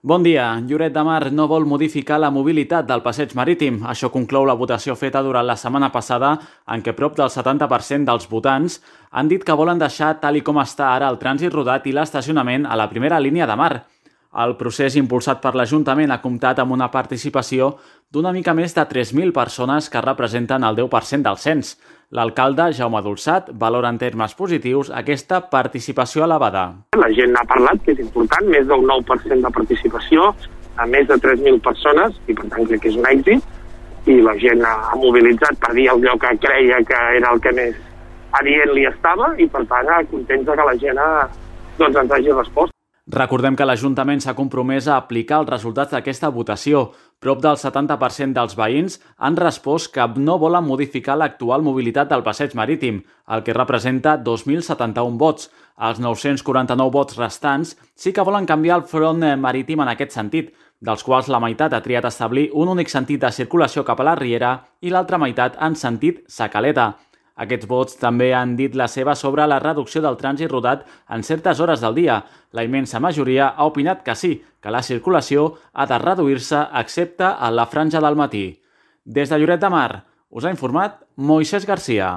Bon dia. Lloret de Mar no vol modificar la mobilitat del passeig marítim. Això conclou la votació feta durant la setmana passada, en què prop del 70% dels votants han dit que volen deixar tal i com està ara el trànsit rodat i l'estacionament a la primera línia de mar. El procés impulsat per l'Ajuntament ha comptat amb una participació d'una mica més de 3.000 persones que representen el 10% del cens. L'alcalde, Jaume Dolçat, valora en termes positius aquesta participació elevada. La gent ha parlat, que és important, més del 9% de participació, a més de 3.000 persones, i per tant crec que és un èxit, i la gent ha mobilitzat per dir allò que creia que era el que més adient li estava, i per tant contents que la gent ens hagi respost. Recordem que l'Ajuntament s'ha compromès a aplicar els resultats d'aquesta votació. Prop del 70% dels veïns han respost que no volen modificar l'actual mobilitat del passeig marítim, el que representa 2.071 vots. Els 949 vots restants sí que volen canviar el front marítim en aquest sentit, dels quals la meitat ha triat establir un únic sentit de circulació cap a la Riera i l'altra meitat en sentit Sa-Caleta. Aquests vots també han dit la seva sobre la reducció del trànsit rodat en certes hores del dia. La immensa majoria ha opinat que sí, que la circulació ha de reduir-se excepte a la franja del matí. Des de Lloret de Mar, us ha informat Moisés Garcia.